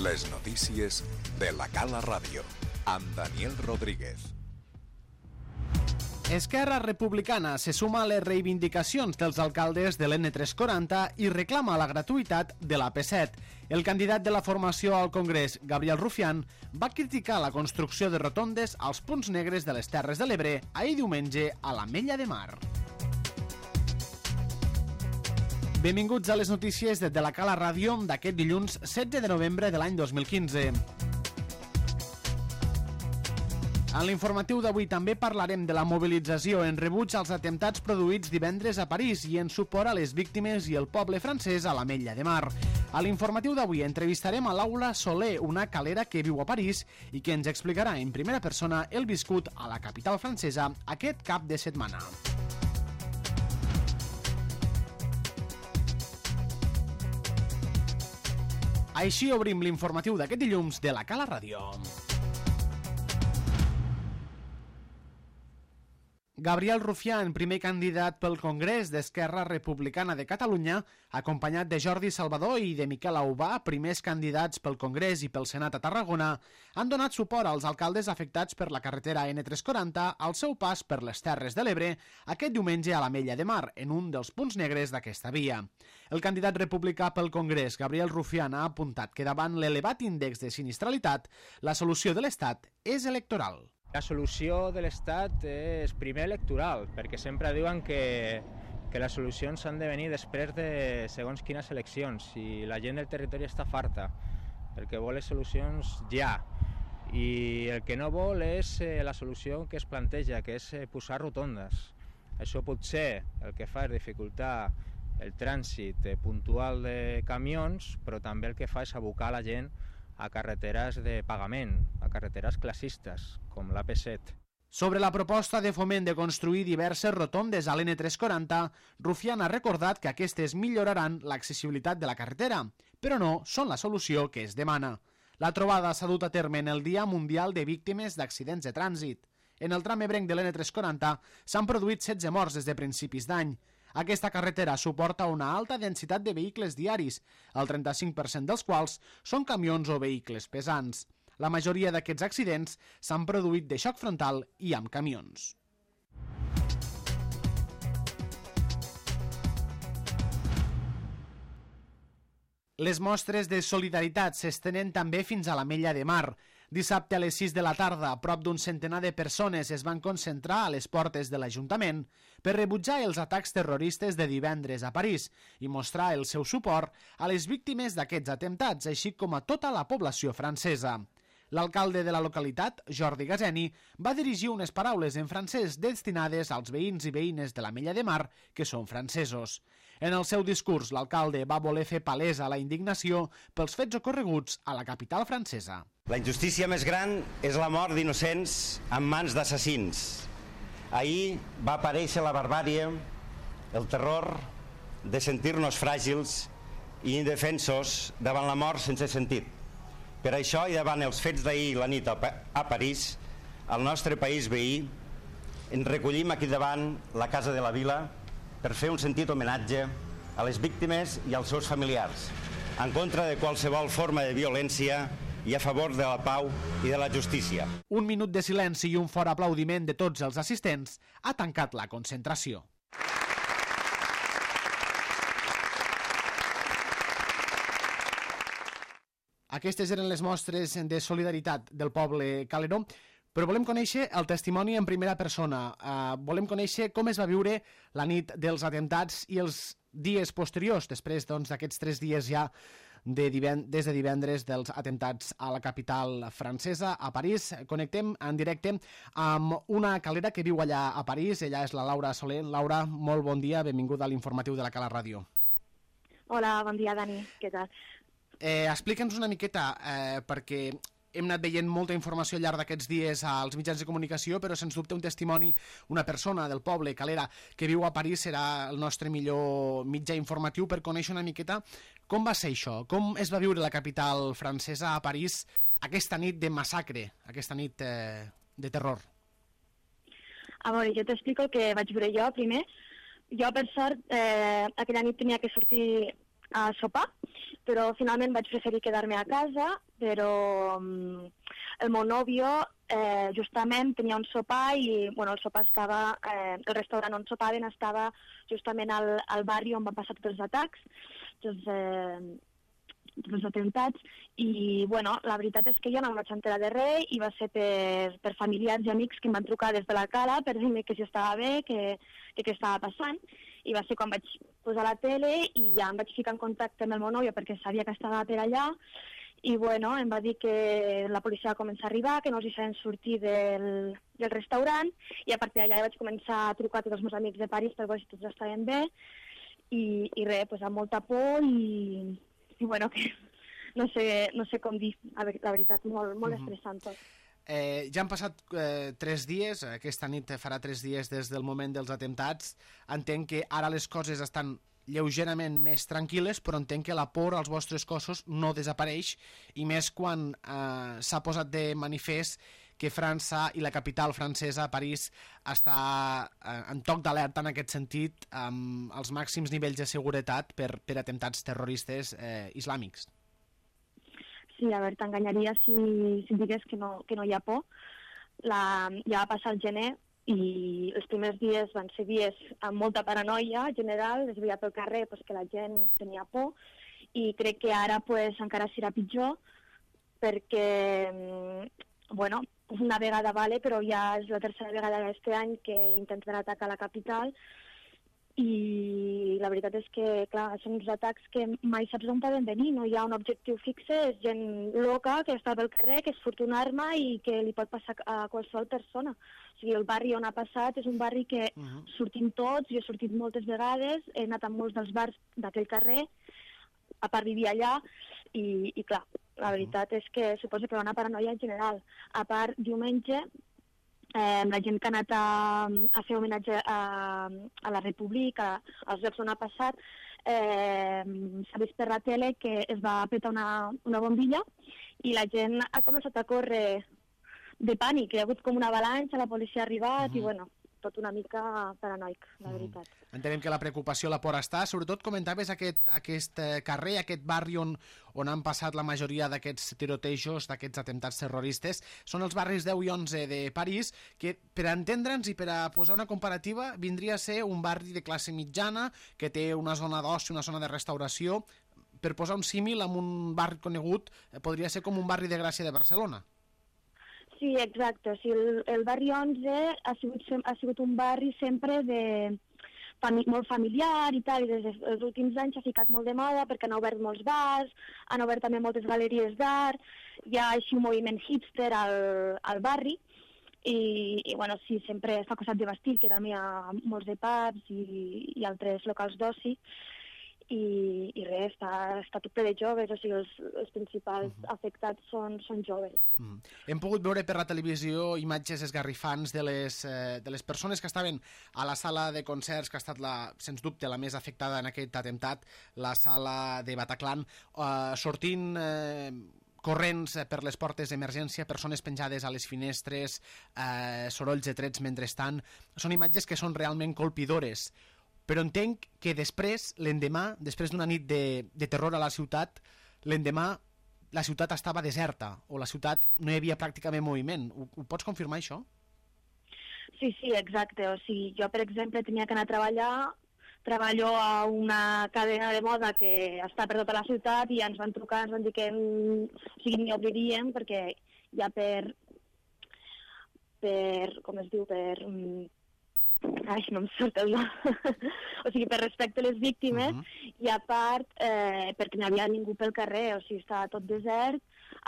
Les notícies de la Cala Ràdio, amb Daniel Rodríguez. Esquerra Republicana se suma a les reivindicacions dels alcaldes de l'N340 i reclama la gratuïtat de l'AP7. El candidat de la formació al Congrés, Gabriel Rufián, va criticar la construcció de rotondes als punts negres de les Terres de l'Ebre ahir diumenge a l'Ametlla de Mar. Benvinguts a les notícies de la Cala Ràdio d'aquest dilluns 16 de novembre de l'any 2015. En l'informatiu d'avui també parlarem de la mobilització en rebuig als atemptats produïts divendres a París i en suport a les víctimes i el poble francès a l'Ametlla de Mar. A l'informatiu d'avui entrevistarem a Laura Soler, una calera que viu a París i que ens explicarà en primera persona el viscut a la capital francesa aquest cap de setmana. Així obrim l'informatiu d'aquest dilluns de la Cala Ràdio. Gabriel Rufián, primer candidat pel Congrés d'Esquerra Republicana de Catalunya, acompanyat de Jordi Salvador i de Miquel Aubà, primers candidats pel Congrés i pel Senat a Tarragona, han donat suport als alcaldes afectats per la carretera N340 al seu pas per les Terres de l'Ebre aquest diumenge a l'Ametlla de Mar, en un dels punts negres d'aquesta via. El candidat republicà pel Congrés, Gabriel Rufián, ha apuntat que davant l'elevat índex de sinistralitat, la solució de l'Estat és electoral. La solució de l'Estat és primer electoral, perquè sempre diuen que les solucions han de venir després de segons quines eleccions, i la gent del territori està farta, perquè vol les solucions ja. I el que no vol és la solució que es planteja, que és posar rotondes. Això potser el que fa és dificultar el trànsit puntual de camions, però també el que fa és abocar la gent a carreteres de pagament, a carreteres classistes, com l'AP7. Sobre la proposta de Foment de construir diverses rotondes a l'N340, Rufián ha recordat que aquestes milloraran l'accessibilitat de la carretera, però no són la solució que es demana. La trobada s'ha dut a terme en el Dia Mundial de Víctimes d'Accidents de Trànsit. En el tram ebrenc de l'N340 s'han produït 16 morts des de principis d'any. Aquesta carretera suporta una alta densitat de vehicles diaris, el 35% dels quals són camions o vehicles pesants. La majoria d'aquests accidents s'han produït de xoc frontal i amb camions. Les mostres de solidaritat s'estenen també fins a l'Ametlla de Mar. Dissabte a les 6 de la tarda, prop d'un centenar de persones es van concentrar a les portes de l'Ajuntament per rebutjar els atacs terroristes de divendres a París i mostrar el seu suport a les víctimes d'aquests atemptats, així com a tota la població francesa. L'alcalde de la localitat, Jordi Gazeni, va dirigir unes paraules en francès destinades als veïns i veïnes de l'Ametlla de Mar que són francesos. En el seu discurs, l'alcalde va voler fer palesa la indignació pels fets ocorreguts a la capital francesa. La injustícia més gran és la mort d'innocents en mans d'assassins. Ahir va aparèixer la barbàrie, el terror de sentir-nos fràgils i indefensos davant la mort sense sentit. Per això, i davant els fets d'ahir la nit a París, al nostre país veí, ens recollim aquí davant la Casa de la Vila per fer un sentit homenatge a les víctimes i als seus familiars, en contra de qualsevol forma de violència i a favor de la pau i de la justícia. Un minut de silenci i un fort aplaudiment de tots els assistents ha tancat la concentració. Aquestes eren les mostres de solidaritat del poble caleró, però volem conèixer el testimoni en primera persona. Volem conèixer com es va viure la nit dels atemptats i els dies posteriors, després d'aquests 3 dies ja des de divendres dels atemptats a la capital francesa, a París. Connectem en directe amb una calera que viu allà a París. Ella és la Laura Soler. Laura, molt bon dia, benvinguda a l'informatiu de la Cala Ràdio. Hola, bon dia, Dani. Què tal? Explica'ns una miqueta, perquè hem anat veient molta informació al llarg d'aquests dies als mitjans de comunicació, però sens dubte un testimoni, una persona del poble, calera, que viu a París serà el nostre millor mitjà informatiu per conèixer una miqueta com va ser això, com es va viure la capital francesa a París aquesta nit de massacre, aquesta nit de terror. A veure, jo t'explico el que vaig veure jo primer. Jo, per sort, aquella nit tenia que sortir a sopar però finalment vaig preferir quedar-me a casa, però el meu nòvio justament tenia un sopar i el sopar estava, el restaurant on sopaven estava justament al barri on van passar tots els atacs, tots els atemptats, i la veritat és que jo no em vaig enterar de res i va ser per familiars i amics que em van trucar des de la Cala per dir-me que si estava bé, que què estava passant, i va ser quan vaig posar la tele i ja em vaig ficar en contacte amb el meu nòvio perquè sabia que estava per allà, i em va dir que la policia va començar a arribar, que no els feien sortir del restaurant, i a partir d'allà vaig començar a trucar a tots els meus amics de París per veure si tots estaven bé, i res, amb molta por i que no sé com dir, la veritat, molt estressant tot. Ja han passat 3 dies, aquesta nit farà 3 dies des del moment dels atemptats. Entenc que ara les coses estan lleugerament més tranquil·les, però entenc que la por als vostres cossos no desapareix, i més quan s'ha posat de manifest que França i la capital francesa, París, està en toc d'alerta en aquest sentit, amb els màxims nivells de seguretat per atemptats terroristes islàmics. Sí, a veure, t'enganyaria si digués que no hi ha por. Ja va passar el gener i els primers dies van ser dies amb molta paranoia general, es veia pel carrer que la gent tenia por, i crec que ara encara serà pitjor perquè, una vegada però ja és la tercera vegada aquest any que intenten atacar la capital, i la veritat és que, clar, són uns atacs que mai saps d'on poden venir, no hi ha un objectiu fixe, és gent loca que està pel carrer, que es furt una arma i que li pot passar a qualsevol persona. O sigui, el barri on ha passat és un barri que sortim tots, jo he sortit moltes vegades, he anat a molts dels bars d'aquell carrer, a part vivir allà, i clar, la veritat és que suposo que hi ha una paranoia general. A part, diumenge, la gent que ha anat a fer homenatge a la República, als llocs on ha passat, s'ha vist per la tele que es va petar una bombilla i la gent ha començat a córrer de pànic, hi ha hagut com una avalanxa, la policia ha arribat i tot una mica paranoic, la veritat. Entenem que la preocupació, la por està. Sobretot comentaves aquest carrer, aquest barri on han passat la majoria d'aquests tirotejos, d'aquests atemptats terroristes. Són els barris 10 i 11 de París, que per entendre'ns i per a posar una comparativa vindria a ser un barri de classe mitjana que té una zona d'oci, una zona de restauració. Per posar un símil amb un barri conegut, podria ser com un barri de Gràcia de Barcelona. Sí, exacte. O sigui, el barri 11 ha sigut un barri sempre molt familiar i tal, i des dels últims anys s'ha ficat molt de moda perquè han obert molts bars, han obert també moltes galeries d'art, hi ha així un moviment hipster al barri, i sí, sempre està acostat de Bastille, que també hi ha molts de pubs i altres locals d'oci, i res, està tot ple de joves, o sigui, els principals afectats són joves. Hem pogut veure per la televisió imatges esgarrifants de les persones que estaven a la sala de concerts, que ha estat, sens dubte, la més afectada en aquest atemptat, la sala de Bataclan, sortint corrents per les portes d'emergència, persones penjades a les finestres, sorolls de trets mentrestant. Són imatges que són realment colpidores. Però entenc que després, l'endemà, després d'una nit de terror a la ciutat, l'endemà la ciutat estava deserta, o la ciutat no hi havia pràcticament moviment. Ho pots confirmar, això? Sí, exacte. O sigui, jo, per exemple, tenia que anar a treballar, treballo a una cadena de moda que està per tota la ciutat i ens van trucar, ens van dir que ni obriríem perquè ja per com es diu, no em surt el nom. O sigui, per respecte a les víctimes, i a part perquè no hi havia ningú pel carrer, o sigui, estava tot desert.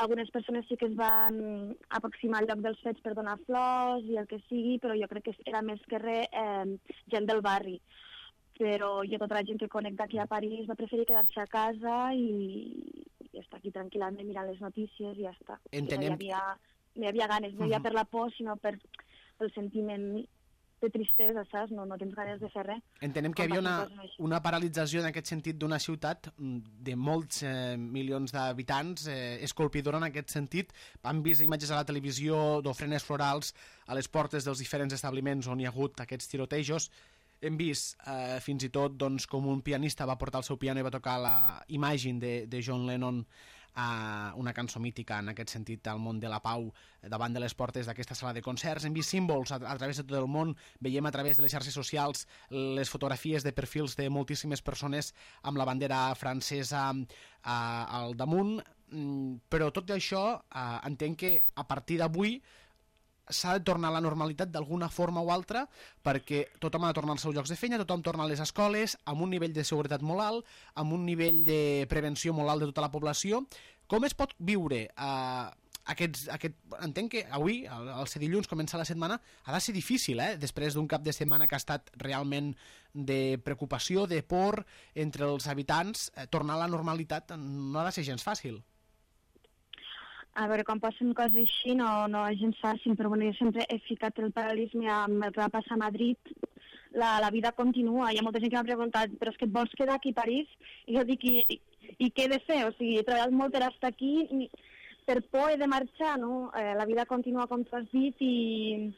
Algunes persones sí que es van aproximar al lloc dels fets per donar flors i el que sigui, però jo crec que era més que res gent del barri. Però jo, tota la gent que conec d'aquí a París va preferir quedar-se a casa i estar aquí tranquil·lament mirant les notícies i ja està. Entenem... No hi havia ganes, no hi havia per la por, sinó pel sentiment de tristesa, saps? No tens ganes de fer res. Entenem que hi havia una paralització en aquest sentit d'una ciutat de molts milions d'habitants, escolpidora en aquest sentit. Han vist imatges a la televisió d'ofrenes florals a les portes dels diferents establiments on hi ha hagut aquests tirotejos. hem vist fins i tot doncs, com un pianista va portar el seu piano i va tocar la Imagine de John Lennon, una cançó mítica en aquest sentit al món de la pau davant de les portes d'aquesta sala de concerts. Hem vist símbols a través de tot el món, veiem a través de les xarxes socials les fotografies de perfils de moltíssimes persones amb la bandera francesa al damunt, però tot això entenc que a partir d'avui s'ha de tornar a la normalitat d'alguna forma o altra, perquè tothom ha de tornar als seus llocs de feina, tothom torna a les escoles, amb un nivell de seguretat molt alt, amb un nivell de prevenció molt alt de tota la població. Com es pot viure entenc que avui, el ser dilluns, comença la setmana, ha de ser difícil, després d'un cap de setmana que ha estat realment de preocupació, de por entre els habitants, tornar a la normalitat no ha de ser gens fàcil. A veure, quan passen coses així no és gens fàcil, però bueno, jo sempre he ficat el paral·lelisme amb el que va passar a Madrid. La vida continua. Hi ha molta gent que m'ha preguntat, però és que et vols quedar aquí a París? I jo dic, i què he de fer? O sigui, he treballat molt per estar aquí, per por he de marxar, no? La vida continua com tu has dit i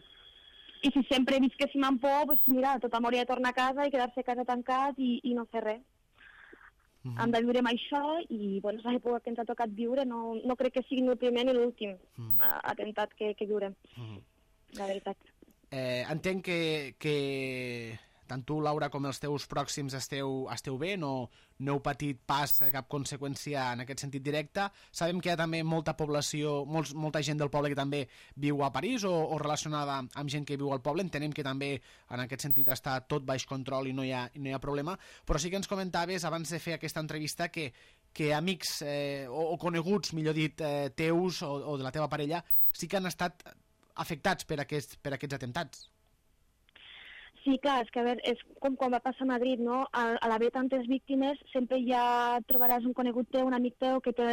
si sempre visquéssim amb por, doncs mira, tothom hauria de tornar a casa i quedar-se a casa tancat i no fer res. Hem de viure amb això i bueno, és l'època que ens ha tocat viure, no crec que sigui ni el primer ni l'últim atemptat que viurem, la veritat. Entenc que tant tu, Laura, com els teus pròxims esteu bé, no heu patit pas cap conseqüència en aquest sentit directe. Sabem que hi ha també molta població, molta gent del poble que també viu a París o relacionada amb gent que viu al poble. Entenem que també en aquest sentit està tot baix control i no hi ha problema, però sí que ens comentaves abans de fer aquesta entrevista que amics o coneguts, millor dit, teus o de la teva parella sí que han estat afectats per aquests atemptats. Sí, clar, és que a veure, és com quan va passar a Madrid, no? A l'haver tantes víctimes sempre ja trobaràs un conegut teu, un amic teu que té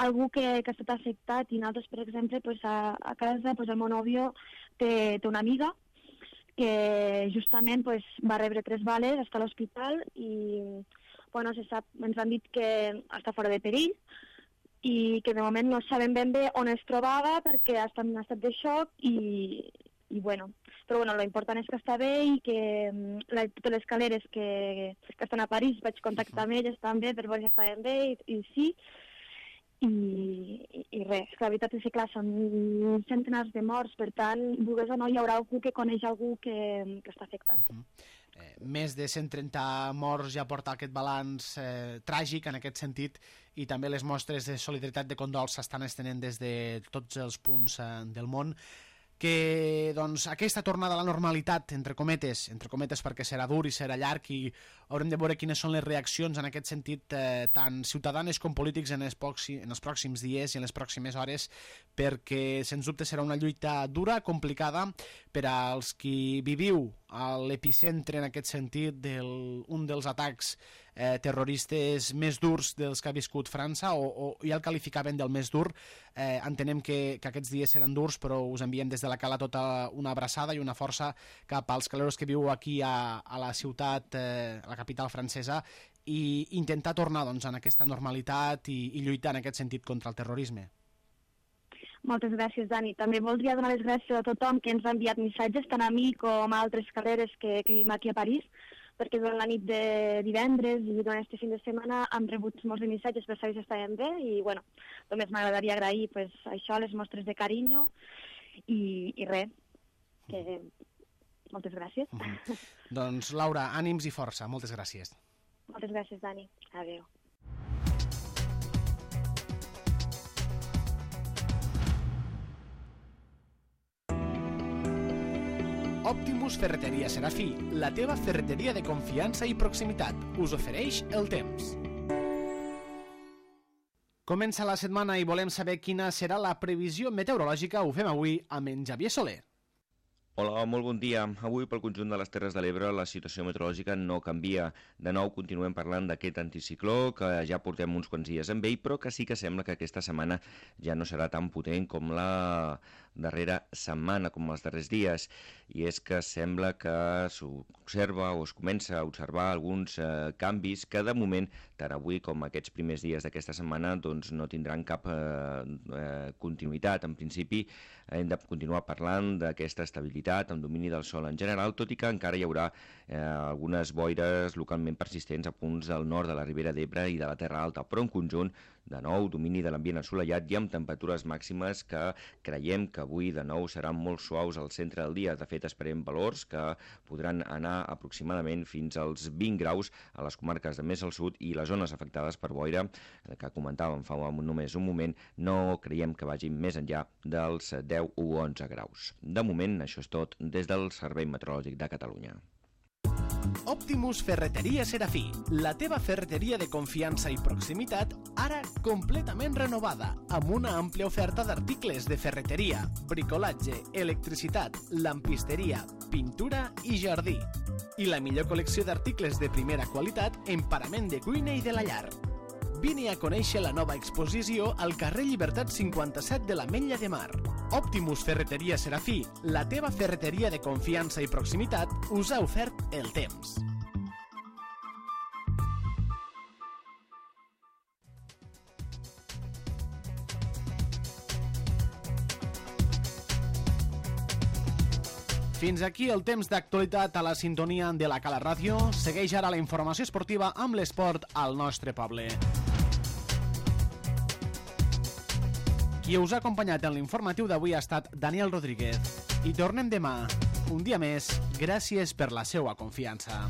algú que ha estat afectat i nosaltres, per exemple, pues, a casa pues, el meu nòvio té una amiga que justament pues, va rebre 3 bales, està a l'hospital i bueno, se sap, ens han dit que està fora de perill i que de moment no sabem ben bé on es trobava perquè està en un estat de xoc i bueno, però bueno, l'important és que està bé i que totes les caleres que estan a París vaig contactar amb elles també per veure si estaven bé i sí i res, la veritat és que clar, són centenars de morts, per tant, vulguis o no, hi haurà algú que coneix algú que està afectat. Més de 130 morts ja porta aquest balanç tràgic en aquest sentit i també les mostres de solidaritat de condol s'estan estenent des de tots els punts del món. Que doncs, aquesta tornada a la normalitat, entre cometes perquè serà dur i serà llarg i haurem de veure quines són les reaccions en aquest sentit tant ciutadanes com polítics en els pròxims dies i en les pròximes hores, perquè sens dubte serà una lluita dura, complicada per als qui viviu a l'epicentre en aquest sentit d'un dels atacs terroristes més durs dels que ha viscut França o ja el qualificaven del més dur. Entenem que aquests dies seran durs, però us enviem des de la Cala tota una abraçada i una força cap als caleros que viu aquí a la ciutat, a la capital francesa, i intentar tornar doncs, en aquesta normalitat i lluitar en aquest sentit contra el terrorisme. Moltes gràcies, Dani. També voldria donar les gràcies a tothom que ens ha enviat missatges, tant a mi com a altres caleres que vivim aquí a París, perquè durant la nit de divendres i durant aquest fin de setmana hem rebut molts de missatges per saber si estàvem bé i bueno, només m'agradaria agrair pues, això, les mostres de carinyo i res, que moltes gràcies. Doncs Laura, ànims i força, moltes gràcies. Moltes gràcies, Dani. Adéu. Optimus Ferreteria Serafí, la teva ferreteria de confiança i proximitat, us ofereix el temps. Comença la setmana i volem saber quina serà la previsió meteorològica. Ho fem avui amb en Xavier Soler. Hola, molt bon dia. Avui pel conjunt de les Terres de l'Ebre la situació meteorològica no canvia. De nou continuem parlant d'aquest anticicló que ja portem uns quants dies amb ell, però que sí que sembla que aquesta setmana ja no serà tan potent com la darrera setmana, com els darrers dies, i és que sembla que s'observa o es comença a observar alguns canvis que de moment, tant avui com aquests primers dies d'aquesta setmana, doncs no tindran cap continuïtat. En principi hem de continuar parlant d'aquesta estabilitat amb domini del sol en general, tot i que encara hi haurà algunes boires localment persistents a punts del nord de la Ribera d'Ebre i de la Terra Alta, però en conjunt, de nou, domini de l'ambient assolellat i amb temperatures màximes que creiem que avui de nou seran molt suaus al centre del dia. De fet, esperem valors que podran anar aproximadament fins als 20 graus a les comarques de més al sud, i les zones afectades per boira, que comentàvem fa només un moment, no creiem que vagin més enllà dels 10 o 11 graus. De moment, això és tot des del Servei Meteorològic de Catalunya. Optimus Ferreteria Serafí, la teva ferreteria de confiança i proximitat, ara completament renovada, amb una àmplia oferta d'articles de ferreteria, bricolatge, electricitat, lampisteria, pintura i jardí. I la millor col·lecció d'articles de primera qualitat en parament de cuina i de la llar. Vine a conèixer la nova exposició al carrer Llibertat 57 de l'Ametlla de Mar. Optimus Ferreteria Serafí, la teva ferreteria de confiança i proximitat, us ha ofert el temps. Fins aquí el temps d'actualitat a la sintonia de la Cala Ràdio. Segueix ara la informació esportiva amb l'esport al nostre poble. Qui us ha acompanyat en l'informatiu d'avui ha estat Daniel Rodríguez. I tornem demà, un dia més. Gràcies per la seua confiança.